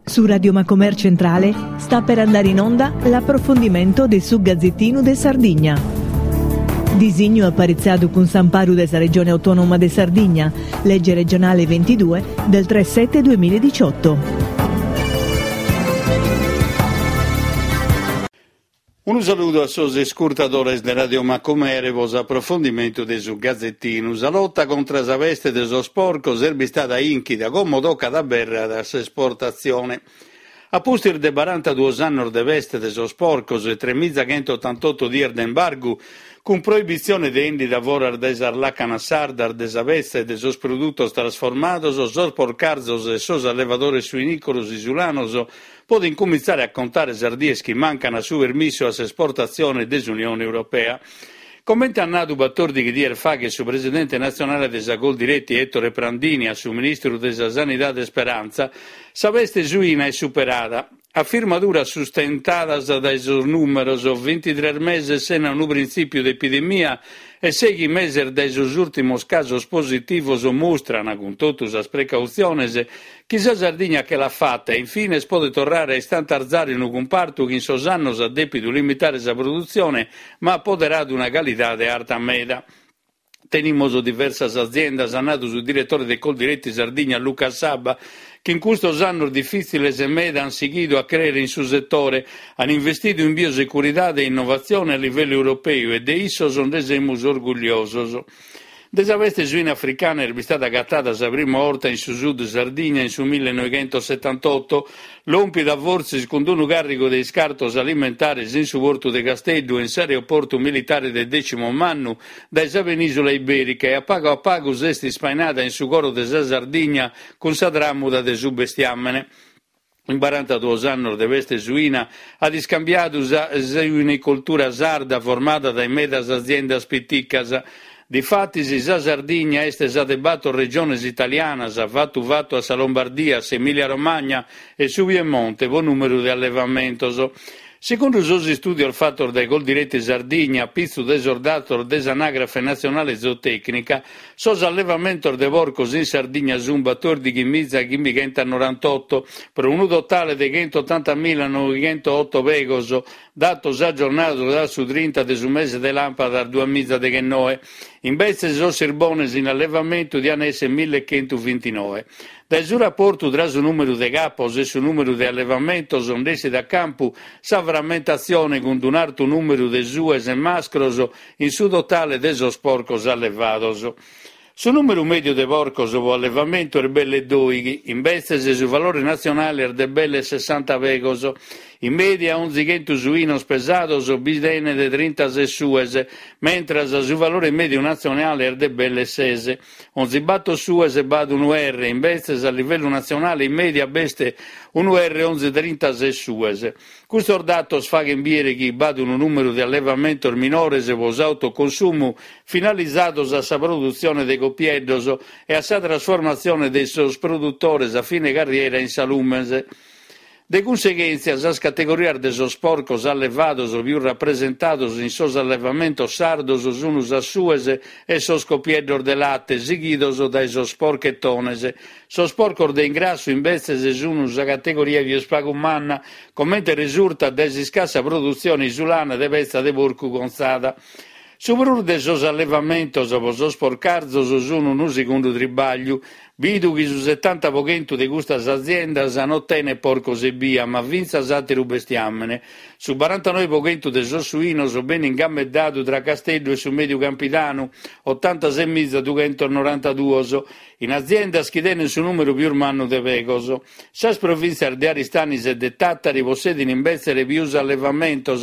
Su Radio Macomer Centrale sta per andare in onda l'approfondimento de su Gazzettinu de Sardigna. Disignu aparitzadu cun s'amparu de sa Regione Autonoma de Sardigna, legge regionale 22 del 3 7 2018. Unu saludu a sos iscurtadores de Radio Macumere pro s'aprofondimentu de su Gazetinu. Sa lota contra sa peste de sos porcos est bistada 'inchida, como tocat a abèrrere a s'esportatzione. A pustis de barantaduos annos de peste de sos porcos e tremizachentotantotto dies de embargu, cun proibitzione de 'endida foras dae sas làcanas sardas de sa petza e de sos produtos trasformados, sos porcarzos e sos allevadores suinìcolos isulanos Podent cumintzare a contare sas dies chi mancan a su permissu a s'esportatzione de s'Unione Europea. Comente at nadu batòrdighi dies faghet su presidente natzionale de sa Coldiretti Ettore Prandini a su ministru de sa Sanidade Speranza, sa peste suina est superada. Afirmaduras sustentadas dae sos nùmeros, bintitres meses sena unu printzìpiu de epidemia e sèighi meses dae sos ùrtimos casos positivos mustran, cun totu sas precautziones, Chi sa Sardigna che l'at fata e in fines podet torrare a istantarzare unu cumpartu chi in sos annos at dèpidu limitare sa produtzione ma at poderadu una calidade arta meda. Tenimus diversas aziendas, at nadu su diretore de Coldiretti Sardigna Luca Saba, chi in custos annos difìtziles meda ant sighidu a crèere in su setore, ant investidu in biosecuridade e innovatzione a livellu europeu e de issos nde semus orgulliosos. De sa peste suina africana est bistada agatada sa prima 'orta in su sud Sardigna in su millenoighentosetantotto, lòmpida fortzis cun unu càrrigu de iscartos alimentares in su portu de Casteddu e in s'aeroportu militare de Decimomannu dae sa penìsula ibèrica e a pagu a pagu s'est ispainada in su coro de sa Sardigna cun sa tràmuda de su bestiàmene. In barantaduos annos de peste suina at iscambiadu sa suinicoltura sarda formada dae medas aziendas piticas. Difatis sa Sardigna est sa de bator regiones italianas, fatu fatu a sa Lombardia, s'Emilia Romagna e su Piemonte pro nùmeru de allevamentos. Segundu sos istùdios fatos dae Coldiretti Sardigna a pitzu de sos datos de s'Anàgrafe Natzionale Zootècnica, sos allevamentos de porcos in Sardigna sunt batòrdighi-miza-chimbichentasnorantotto, pro unu totale de chentotantamilanovichentootto pegos, datos agiornados a su trinta de su mese de làmpadas duamizadeghennoe. Imbetzes sos sirbones in allevamentu diant èssere millechentuvintinòe. Dae su raportu tra su nùmeru de capos e su nùmeru de allevamentos nd'essit a campu sa frammentatzione cun un'artu nùmeru de sues e mascros in su totale de sos porcos allevados. Su nùmeru mèdiu de porcos pro allevamentu est belle dòighi, imbetzes su valore natzionale est de belle sessanta pegos. In mèdia onzi chentu suinos pesados bi tenet trintases sues, mentras su valore mèdiu natzionale est de belle ses. Onzi bator sues b'at unu erre, imbetzes a livellu natzionale in mèdia b'est unu erre onzi trintases sues. Custos datos faghent bìdere chi b'at unu nùmeru de allevamentos minores pro s'autoconsumu finalizados a sa produtzione de copieddos e a sa trasformatzione de sos produtores a fine carriera in salumes. De cunseghèntzia, sas categorias de sos porcos allevados pius rapresentados in sos allevamentos sardos sun sas sues e sos copieddos de late, sighidos dae sos porchetones. Sos porcos de ingrassu, imbetzes, sun sa categoria pius pagu manna, comente resurtat dae s'iscassa produtzione isulana de petza de porcu contzada. Su prus de sos allevamentos pro sos porcarzos sun unu segundu tribagliu, bidu chi su setanta pro chentu de custas aziendas no tenet porcos ebbia, ma fintzas àteru bestiàmene. Su barantanoe pro chentu de sos suinos benit gameddadu tra Casteddu e su Mèdiu Campidanu, otantasemiza dughentosnorantaduos, in aziendas chi tenent su nùmeru pius mannu de pegos. Sas provìntzias de Aristanis e de Tàtari possedin imbetzes pius allevamentos,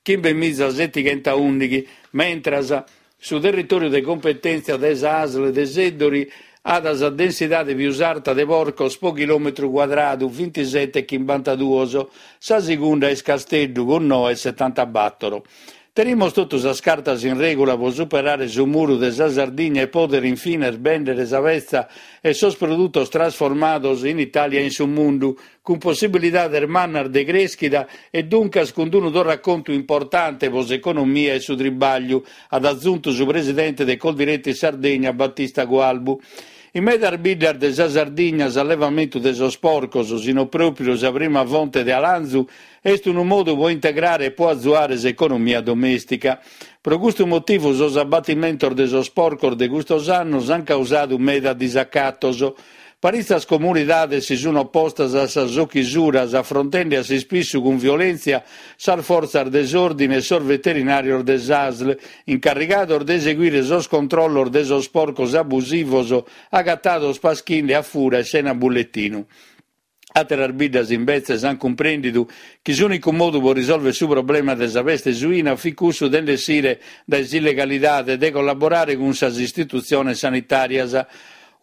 chimbemizasetighentoundighi, mentras su territòriu de cumpetèntzia de sa ASL de Seddori at sa densidade pius arta de porcos pro chilòmetru cuadradu, bintisete e chimbantaduos, sa segunda est Casteddu cun noe e setantabàtoro. Tenimos totu sas cartas in règula pro superare su muru de sa Sardigna e pòdere in fines bèndere sa petza e sos produtos trasformados in Itàlia e in su mundu, cun possibilidades mannas de crèschida e duncas cun unu torracontu importante pro s'economia e su tribagliu, at azuntu su presidente de Coldiretti Sardegna Battista Cualbu. In medas biddas de sa Sardigna s'allevamentu de sos porcos, si no pròpriu sa prima fonte de 'alanzu, est unu modu pro integrare e pro azuare s'economia domèstica. Pro custu motivu sos abbatimentos de sos porcos de custos annos ant causadu meda disacatos. Paritzas comunidades si sunt opostas a sas ochisuras, afrontende a s'ispissu cun violèntzia sas fortzas de s'òrdine e sos veterinàrios de s'ASL, incarrigados de eseguire sos controllos de sos porcos abusivos agatados paschinde a fura e sena bulletinu. Àteras biddas imbetzes ant cumprèndidu chi s'ùnicu modu pro risòlvere su problema de sa peste suina fit cussu de nd'essire dae s'illegalidade e de collaborare cun sas istitutziones sanitàrias.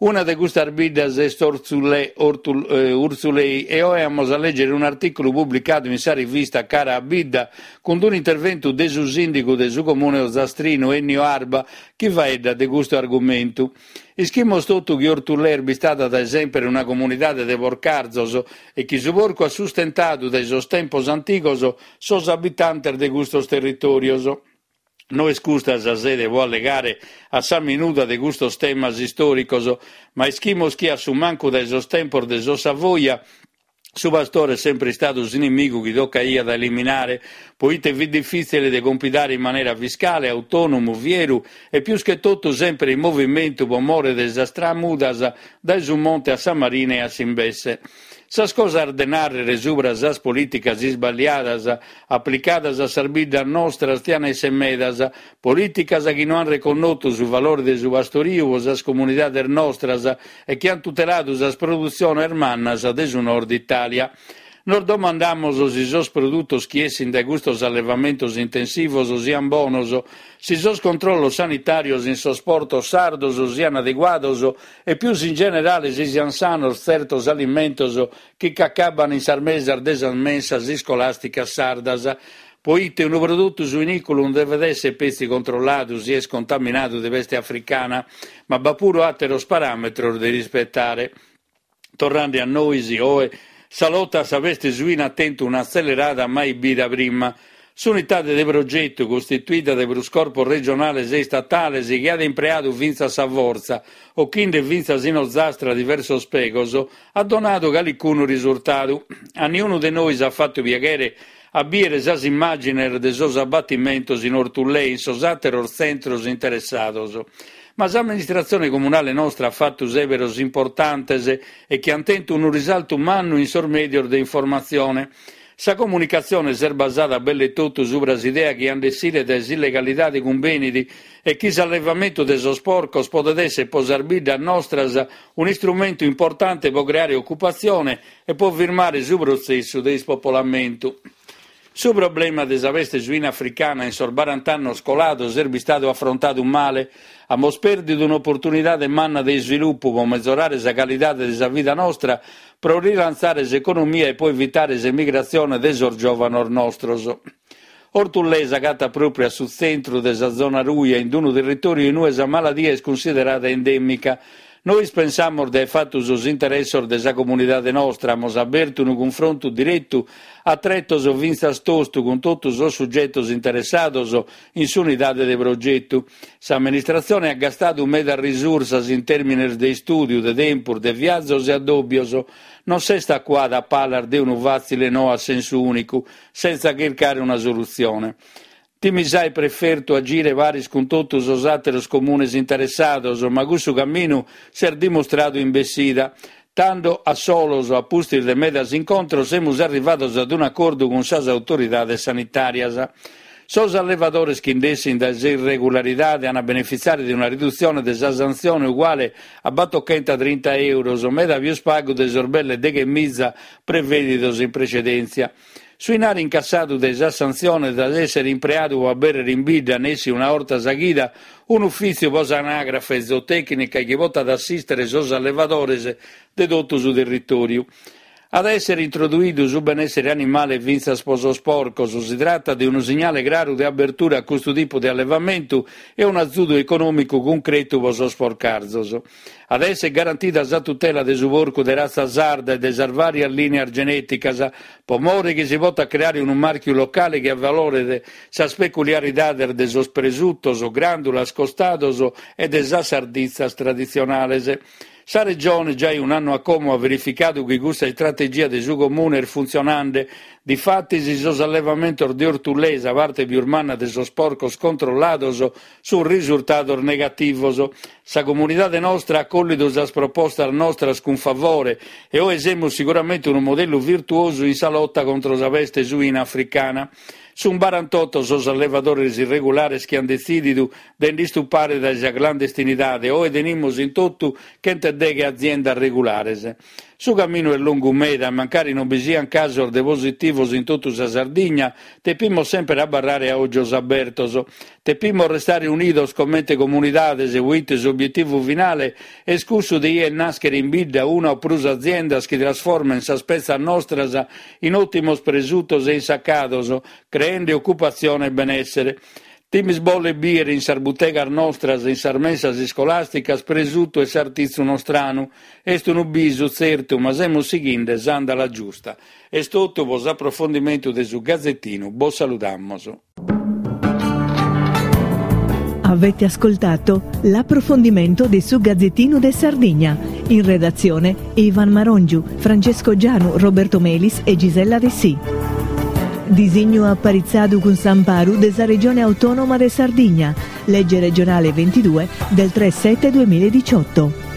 Una de custas biddas est Ortzulè, Urtzulei, e oe amus a lègere un'artìculu publicadu in sa rivista Cara a Bidda cun un'interventu de su sìndigu de su comune ozastrinu Ennio Arba chi faeddat de custu argumentu. Ischimus totu chi Orthullè est bistada dae semper una comunidade de porcarzos e chi su porcu at sustentadu dae sos tempos antigos sos abitantes de custos territòrios. No est custa sa sede pro allegare a sa minuda de custos temas istòricos, ma ischimus chi a su mancu dae sos tempos de sos Savoia su pastore est sempre istadu s'inimigu chi tocaiat a eliminare, proite fit difìtzile de compidare in manera fiscale, autònomu, fieru e pius che totu sempre in movimentu pro more de sas tramudas dae su monte a sa marina e a s'imbesse. Sas cosas de nàrrere subra sas polìticas isballiadas aplicadas a sas biddas nostras tian èssere medas, polìticas chi no an reconnotu su valore de su pastoriu pro sas comunidades nostras e chi an tuteladu sas produtziones mannas de su nord Itàlia. Nos domandamus si sos produtos chi essin dae custos allevamentos intensivos sian bonos, si sos controllos sanitàrios in sos portos sardos sian adeguados e pius in generale si sian sanos tzertos alimentos chi ch'acaban in sas mesas de sas mensas iscolàsticas sardas, proite unu produtu suinìculu non devet èssere petzi controlladu si est contaminadu de peste africana, ma b'at puru àteros paràmetros de rispetare. Torrende a nois, oe, sa lota a sa peste suina at tentu un'atzelerada mai bida prima. S'unitade de progetu, costituida dae prus corpos regionales e istatales, chi at impreadu fintzas sa fortza, ochinde fintzas in Ozastra diversos pegos, at donadu calicunu risurtadu. A niunu de nois at fatu piaghere a bìere sas immàgines de sos abbatimentos in Orthullè e in sos àteros tzentros interessados. Ma s'amministratzione comunale nostra at fatu sèberos importantes e chi ant tentu unu risaltu mannu in sos mèdios de informatzione. Sa comunicatzione s'est basada belle totu subra s'idea chi a nd'essire dae s'illegalidade cumbenit e chi s'allevamentu de sos porcos podet èssere pro sas biddas nostras un'istrumentu importante pro creare ocupatzione e pro firmare su protzessu de ispopolamentu. Su problema de sa peste suina africana in sos barant'annos colados est bistadu afrontadu male. Amus pèrdidu un'oportunidade manna de isvilupu pro mezorare sa calidade de sa vida nostra, pro rilantzare s'economia e pro evitare s'emigratzione de sos giòvanos nostros. Orthullè s'agatat pròpriu a su tzentru de sa zona ruja, in unu territòriu in ue sa maladia est cunsiderada endèmica. Nois pensamus de aer fatu sos interessos de sa comunidade nostra, amus abertu unu cunfrontu diretu a tretos fintzas tostu cun totu sos sugetos interessados in s'unidade de progetu. S'amministratzione at gastadu medas risursas in tèrmines de istùdiu, de tempus, de viazos e addòbios. Non s'est acuada a palas de unu fàtzile no a sensu ùnicu, sentza chircare una solutzione. Timis aer prefertu agire paris cun totu sos àteros comunes interessados, ma cussu caminu s'est dimustradu in bessida. Tando, a solos, a pustis de medas incontros, semus arrivados ad un'acordu cun sas autoridades sanitàrias. Sos allevadores chi nd'essint dae s'irregularidade an a benefitziare de una ridutzione de sa santzione uguale a battochentotrinta euros, meda pius pagu de sos belle deghemiza prevèdidos in precedèntzia. Su 'inari incassadu dae sas santziones at èssere impreadu pro abèrrere in bidda, nessi una 'orta sa chida, un'ufìtziu pro s'anàgrafe zootècnica chi potat assìstere sos allevadores de totu su territòriu. At a èssere introduidu su benèssere animale fintzas pro sos porcos. Si tratat de unu signale craru de abertura a custu tipu de allevamentu e un'azudu econòmicu cuncretu pro sos porcarzos. At a èssere garantida sa tutela de su porcu de ratza sarda e de sas vàrias lìnias genèticas, pro more chi si potat creare unu màrchiu locale chi avaloret sas peculiaridades de sos presutos, gràndulas, costados e de sas sarditzas traditzionales. Sa Regione giai un'annu a como at verificadu chi custa istrategia de su Comune est funtzionande. Difatis sos allevamentos de Orthullè, sa parte pius manna de sos porcos controllados, sunt risurtados negativos. Sa comunidade nostra at collidu sas propostas nostras cun favore e oe semus siguramente unu modellu virtuosu in sa lota contro sa peste suina africana. Sunt barantoto sos allevadores irregulares chi ant detzìdidu de nd'istupare dae sa clandestinidade, oe tenimus in totu chentedeghe aziendas regulares. Su caminu est longu meda, mancari non bi siant casos de positivos in totu sa Sardigna, tepimos semper abarrare a ògios abertos. Tepimos restare unidos comente comunidades, poite s'obietivu finale est cussu de 'ier nàschere in bidda una o prus aziendas chi trasforment sas petzas nostras in òtimos presutos e insacados, creende ocupatzione e benèssere. Timis bolle bìere in sas butegas nostras e in sas mensas iscolàsticas presutu e sartitzu nostranu. Est unu bisu, tzertu, ma semus sighinde s'àndala giusta. Est totu pro s'aprofondimentu de su Gazetinu. Bos saludamos. Avete ascoltato l'approfondimento de su Gazzettino de Sardigna. In redazione Ivan Marongiu, Francesco Gianu, Roberto Melis e Gisella Dessì. Disignu aparitzadu cun s'amparu de sa Regione Autonoma de Sardigna, legge regionale 22 del 3 7 2018.